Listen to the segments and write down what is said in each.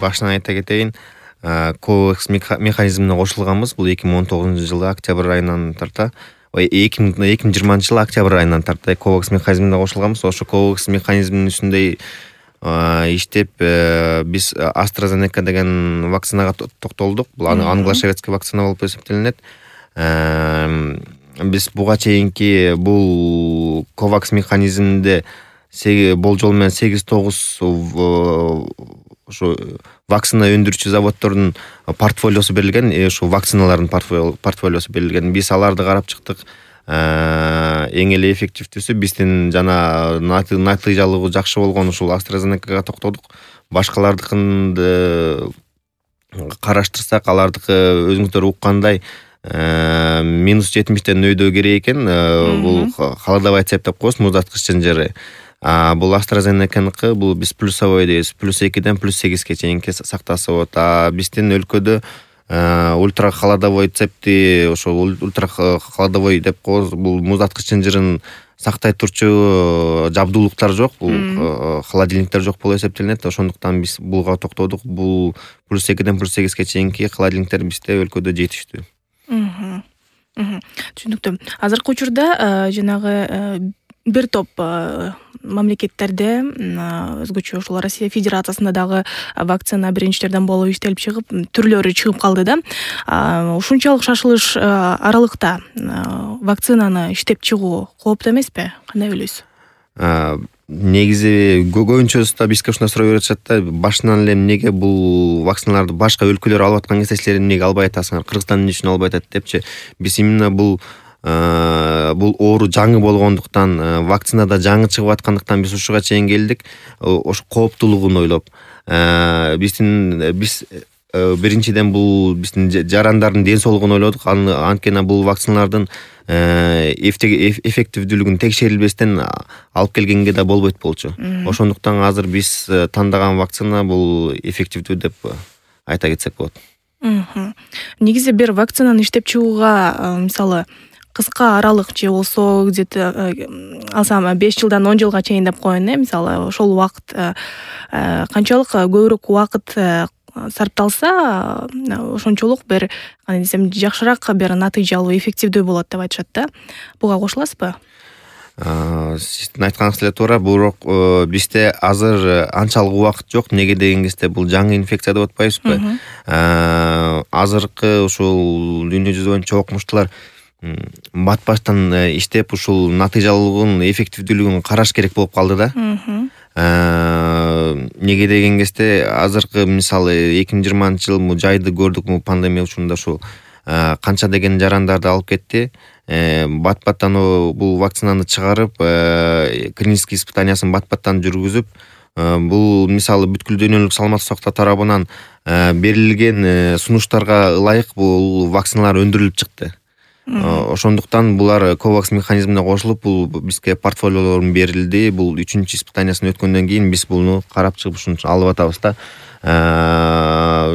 башынан айта кетейин, COVAX механизмине кошулганбыз. Бул 2019-жылы октябрь айынан тарта, 2020-жылы октябрь айынан тарта COVAX механизмине кошулганбыз. Ошо COVAX механизминин үстүндө иштеп, биз AstraZeneca деген вакцинага токтолдук. Бул англо-шведский вакцина болуп эсептелинет. Биз буга чейинки бул COVAX механизминде болжол менен 8-9 ошо вакцина өндүрүүчү заводдордун портфолиосу берилген, ошо вакциналардын портфолиосу берилген. Биз аларды карап чыктык. Эң эле эффективдүүсү биздин жана натыйжалыгы жакшы болгон ушул AstraZenecaга токтодук. Башкалардыкынды караштырсак, алардыкы өзүңүздөр уккандай -70 өйдө керек экен. Бул холодовая цепь деп коебуз, муздаткыч жери. Бул AstraZeneca'ныкы бул биз плюсовой дейбиз. +2-ден +8ге чейинки сактасы болот. Биздин өлкөдө ультра холодовой цепти, ошо ультра холодовой деп коебуз. Бул муздаткыч жырын сактай турчу жабдуулуктар жок, бул холодильниктер жок болуп эсептелинет. Ошондуктан биз буга токтодук. Бул +2-ден +8ге чейинки холодильниктер бизде өлкөдө жетиштүү. Түшүнүктүү. Азыркы учурда жанагы бир топ мамлекеттерде өзгөчө ушул Россия Федерациясында дагы вакцина биринчилерден болуп иштелип чыгып, түрлөрү чыгып калды да. Ушунчалык шашылыш аралыкта вакцинаны иштеп чыгуу кооптуу эмеспи? Кандай ойлойсуз? Негизи көбүнчөсү бизге ушундай суроо беришет да, башынан эле эмнеге бул вакциналарды башка өлкөлөр алып аткан кезде силер эмнеге албай атасыңар? Кыргызстан эмне үчүн албай атат депчи. Биз именно бул оору жаңы болгондуктан, вакцинада жаңы чыгып аткандыктан биз ушуга чейин келдик. Ошо кооптуулугун ойлоп, биз биринчиден бул биздин жарандардын ден соолугун ойлодук. Анткени бул вакциналардын эффективдүүлүгүн текшерилбестен алып келгенге да болбойт болчу. Ошондуктан азыр биз тандаган вакцина бул эффективдүү деп айта кетсек болот. Негизи бир вакцинаны иштеп чыгууга, мисалы, кыска аралык же болсо где-то алсам 5 жылдан 10 жылга чейин деп коеюн, мисалы, ошол убакыт канчалык көбүрөөк убакыт сарпталса, ошончолук бир, кандай десем, жакшыраак бир натыйжалуу, эффективдүү болот деп айтышат да. Буга кошуласызбы? Сиздин айтканыңыз эле туура, бирок бизде азыр анчалык убакыт жок. Неге деген кезде бул жаңы инфекция деп атпайбызбы? Азыркы ушул дүйнө жүзү боюнча окумуштуулар бат-баштан иштеп, ушул натыйжалуулугун, эффективдүүлүгүн караш керек болуп калды да. Неге деген кезде азыркы, мисалы, 2020-жыл жайды көрдүк, пандемия учурунда ушул канча деген жарандарды алып кетти. Бат-баттан бул вакцинаны чыгарып, клинический испытаниясын бат-баттан жүргүзүп, бул, мисалы, бүткүл дүйнөлүк саламаттык сактоо тарабынан берилген сунуштарга ылайык бул вакциналар өндүрүлүп чыкты. Ошондуктан булар COVAX механизмине кошулуп, бул бизге портфолиолорун берилди. Бул 3-чү испытаниясын өткөндөн кийин биз буну карап чыгып ушуну алып атабыз да.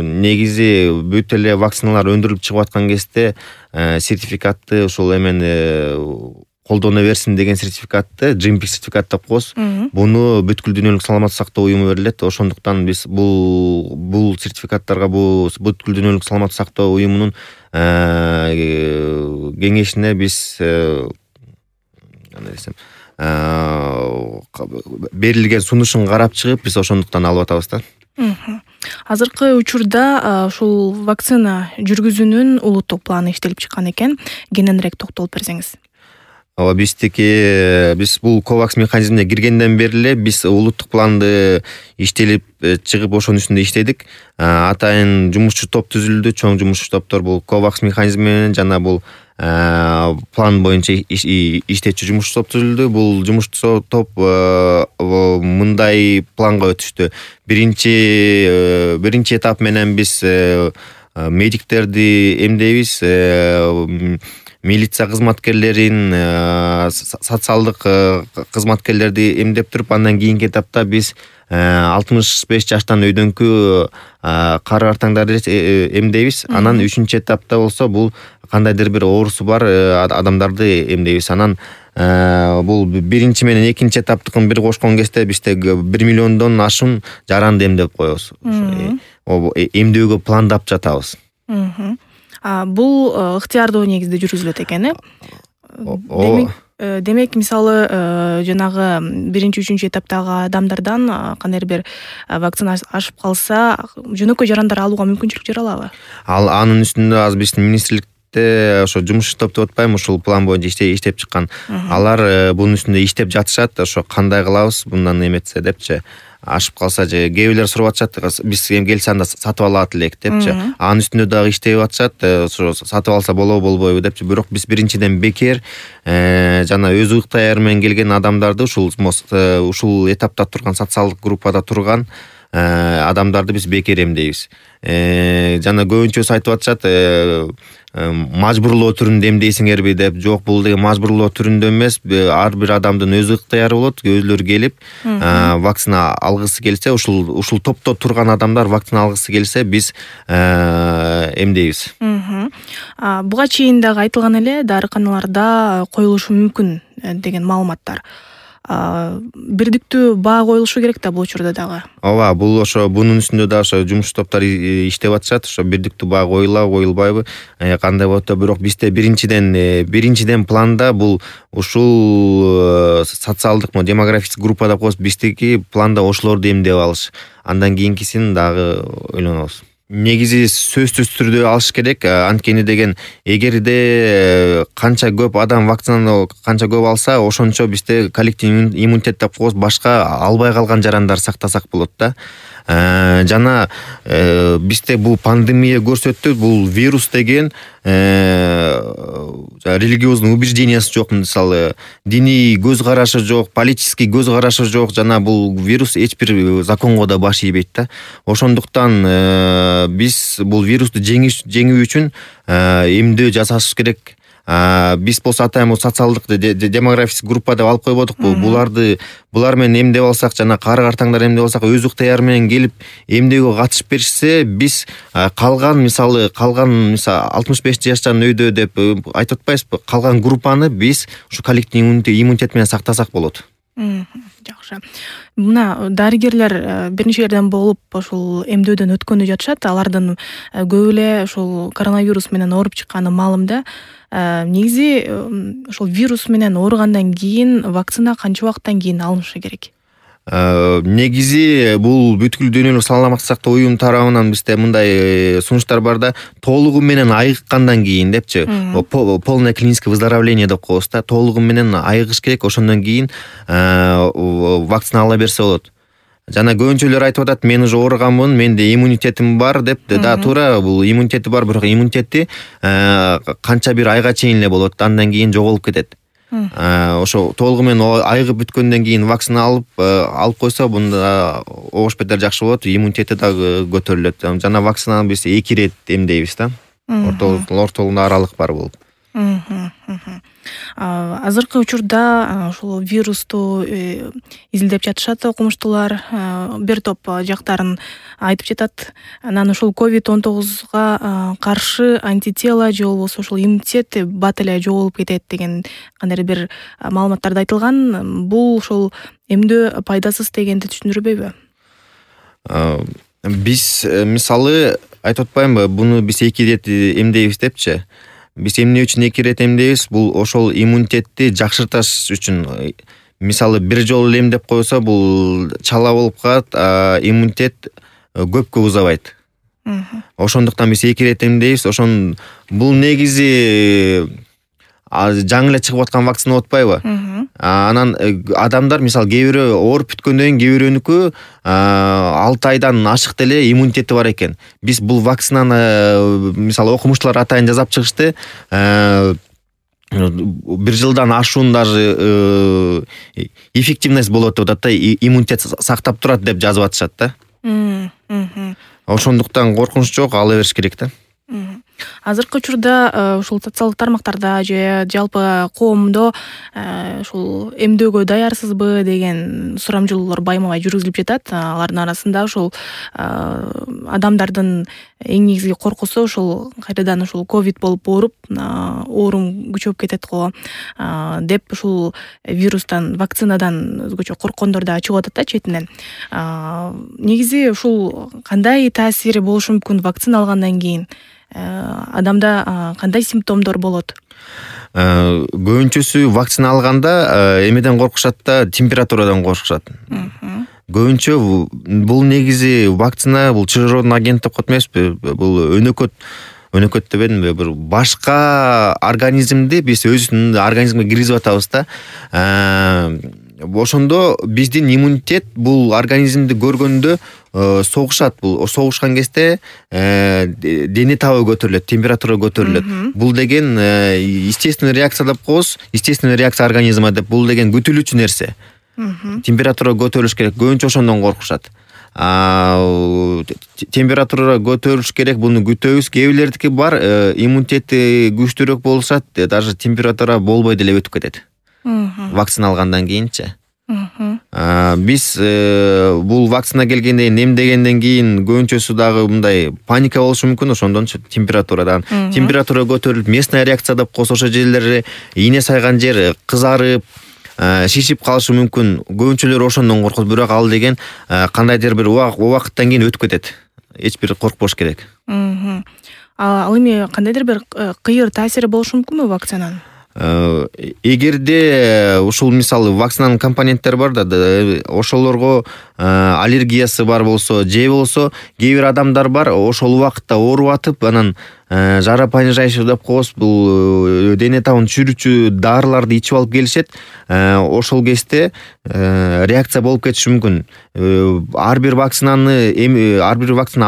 Негизи бүт эле вакциналар өндүрүлүп чыгып аткан кезде сертификатты, ушул эмени колдоно берсин деген сертификатты, GMP сертификат деп коебуз. Буну бүткүл дүйнөлүк саламаттык сактоо уюму берилет. Ошондуктан биз бул сертификаттарга бүткүл дүйнөлүк саламаттык сактоо уюмунун кеңешине биз берилген сунушун карап чыгып, биз ошондуктан алып атабыз да. Азыркы учурда ушул вакцина жүргүзүүнүн улуттук планы иштелип чыккан экен. Кененирээк токтолуп берсеңиз. Биз бул COVAX механизмине киргенден бери эле биз улуттук планды иштелип чыгып, ошонун үстүндө иштедик. Атайын жумушчу топ түзүлдү, чоң жумушчу топтор бул COVAX механизми менен жана бул план боюнча иштечү жумушчу топ түзүлдү. Бул жумушчу топ мындай планга өтүштү. Биринчи этап менен биз медиктерди эмдейбиз, милиция кызматкерлерин, социалдык кызматкерлерди эмдеп туруп, андан кийинки этапта биз 65 жаштан өйдөнкү кары картаңдарды эмдейбиз. Анан 3-чү этапта болсо бул кандайдыр бир оорусу бар адамдарды эмдейбиз. Анан бул биринчи менен экинчи этаптыкын бир кошкон кезде бизде 1 миллиондон ашуун жаранды эмдеп коебуз. эмдөөгө пландап жатабыз. Бул ыктыярдуу негизде жүргүзүлөт экен, демек мисалы жанагы 1-3 этаптагы адамдардан кандайдыр бир вакцина ашып калса жөнөкөй жарандар алууга мүмкүнчүлүк жаралабы? Анын үстүндө азыр биздин министрликте ошо жумуш топ деп атпайбы, ушул план боюнча иштеп чыккан. Алар бунун үстүндө иштеп жатышат. Ошо кандай кылабыз мындан эметсе депчи. Ашып калса же кээ бирлер сурап атышат, биз келсе анда сатып алат элек депчи. Анын үстүндө дагы иштеп атышат, ошо сатып алса болобу болбойбу депчи. Бирок биз биринчиден бекер жана өз ыктыяры менен келген адамдарды ушул этапта турган, социалдык группада турган адамдарды биз бекер эмдейбиз. Жана көбүнчөсү айтып атышат, мажбурлоо түрүндө эмдейсиңерби деп. Жок, бул деген мажбурлоо түрүндө эмес. Ар бир адамдын өз ыктыяры болот. Өзүлөрү келип вакцина алгысы келсе, ушул топто турган адамдар вакцина алгысы келсе, биз эмдейбиз. Буга чейин дагы айтылган эле, дарыканаларда коюлушу мүмкүн деген маалыматтар. Бирдиктүү баа коюлушу керек да бул учурда дагы. Ооба, бул ошо бунун үстүндө да ошо жумуш топтор иштеп атышат. Ошо бирдиктүү баа коюлабы, коюлбайбы, кандай болот да. Бирок бизде биринчиден планда бул ушул социалдык, демографический группа деп коебуз. Биздики планда ошолорду эмдеп алыш. Андан кийинкисин дагы ойлонобуз. Негизи сөзсүз түрдө алыш керек. Анткени деген эгерде канча көп адам вакцинаны канча көп алса, ошончо бизде коллективдүү иммунитет деп коебуз, башка албай калган жарандар сактасак болот да. Жана бизде бул пандемия көрсөттү, бул вирус деген религиозный убеждениясы жок, мисалы диний көз карашы жок, политический көз карашы жок, жана бул вирус эч бир законго да баш ийбейт да. Ошондуктан биз бул вирусту жеңүү үчүн эмдөө жасаш керек. Биз болсо атайын социалдык, демографический группа деп алып койбодукпу. Булар менен эмдеп алсак, жана кары картаңдар эмдеп алсак, өз ыктыяры менен келип эмдөөгө катышып беришсе, биз калган 65 жаштан өйдө деп айтып атпайбызбы? Калган группаны биз ушу коллективдүү иммунитет менен сактасак болот. Жакшы. Мына дарыгерлер бир нечелерден болуп ошол эмдөөдөн өткөнү жатышат. Алардын көп эле ошол коронавирус менен ооруп чыкканы маалым да. Негизи ошол вирус менен ооругандан кийин вакцина канча убакыттан кийин алынышы керек? Негизи бул бүткүл дүйнөлүк саламаттык сактоо уюму тарабынан бизде мындай сунуштар бар да, толугу менен айыккандан кийин депчи, полное клиническое выздоровление деп коебуз да, толугу менен айыгыш керек, ошондон кийин вакцина ала берсе болот. Жана көбүнчөлөр айтып атат, мен уже ооруганмын, менде иммунитетим бар деп. Да, туура, бул иммунитети бар, бирок иммунитети канча бир айга чейин эле болот, андан кийин жоголуп кетет. Ошо толугу менен айыгып бүткөндөн кийин вакцина алып койсо, мында обош бетер жакшы болот, иммунитети дагы көтөрүлөт. Жана вакцинаны биз 2 рет эмдейбиз да. Ортолугунда аралык бар болуп. Азыркы учурда ошол вирусту изилдеп жатышат окумуштуулар. Бир топ жактарын айтып жатат. Анан ошол COVID-19 каршы антитела же болбосо ошол иммунитет бат эле жоголуп кетет деген кандайдыр бир маалыматтарда айтылган. Бул ошол эмдөө пайдасыз дегенди түшүндүрбөйбү? Биз мисалы айтып атпаймынбы, буну биз 2 рет эмдейбиз депчи. Биз эмне үчүн 2 рет эмдейбиз? Бул ошол иммунитетти жакшырташ үчүн. Мисалы бир жолу эмдеп койсо, бул чала болуп калат, иммунитет көпкө узабайт. Ошондуктан биз 2 рет эмдейбиз. Бул негизи жаңы эле чыгып аткан вакцина болуп атпайбы? Анан адамдар мисалы кээ бирөө ооруп бүткөндөн кийин кээ бирөөнүкү 6 айдан ашык деле иммунитети бар экен. Биз бул вакцинаны мисалы окумуштуулар атайын жасап чыгышты. 1 жылдан ашуун даже эффективность болот деп атат да, иммунитет сактап турат деп жазып атышат да. Ошондуктан коркунуч жок, ала бериш керек да. Азыркы учурда ушул социалдык тармактарда же жалпы коомдо ушул эмдөөгө даярсызбы деген сурамжылоолор байма-бай жүргүзүлүп жатат. Алардын арасында ушул адамдардын эң негизги коркусу ушул кайрадан ушул ковид болуп ооруп, оорум күчөп кетет го деп ушул вирустан, вакцинадан өзгөчө корккондор да чыгып атат да четинен. Негизи ушул кандай таасири болушу мүмкүн вакцина алгандан кийин? Адамда кандай симптомдор болот? Көбүнчөсү вакцина алганда эмеден коркушат да, температурадан коркушат. Көбүнчө бул негизи вакцина бул чыгаруудун агент деп коет эмеспи? Бул өнөкөт дебедимби? Бир башка организмди биз өзүбүздүн организмге киргизип атабыз да. Ошондо биздин иммунитет бул организмди көргөндө согушат. Бул согушкан кезде дене табы көтөрүлөт, температура көтөрүлөт. Бул деген естественный реакция деп коебуз. Естественный реакция организма деп, бул деген күтүлүүчү нерсе. Температура көтөрүлүш керек. Көбүнчө ошондон коркушат. Температура көтөрүлүш керек, буну күтөбүз. Кээ бирлердики бар, иммунитети күчтүүрөөк болушат, даже температура болбой деле өтүп кетет. Вакцина алгандан кийинчи. Биз бул вакцина келгенде эмдегенден кийин көбүнчөсү дагы мындай паника болушу мүмкүн, ошондон температурадан. Температура көтөрүлүп, местная реакция деп коебуз, ошо жерлери ийне сайган жер кызарып, шишип калышы мүмкүн. Көбүнчөлөр ошондон коркот, бирок ал деген кандайдыр бир убакыттан кийин өтүп кетет. Эч бир коркпош керек. Ал эми кандайдыр бир кыйыр таасири болушу мүмкүнбү вакцинанын? Эгерде ушул мисалы вакцинанын компоненттери бар да, ошолорго аллергиясы бар болсо, же болсо кээ бир адамдар бар, ошол убакытта ооруп атып, анан жаропонижающий деп коебуз, бул дене табын түшүрүүчү дарыларды ичип алып келишет. Ошол кезде реакция болуп кетиши мүмкүн. Ар бир вакцина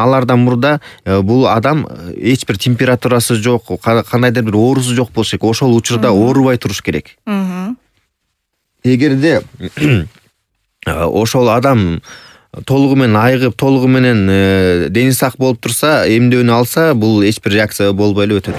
алаардан мурда бул адам эч бир температурасы жок, кандайдыр бир оорусу жок болуш керек. Ошол учурда оорубай туруш керек. Эгерде ошол адам толугу менен айыгып, толугу менен дени сак болуп турса, эмдөөнү алса, бул эч бир реакция болбой эле өтөт.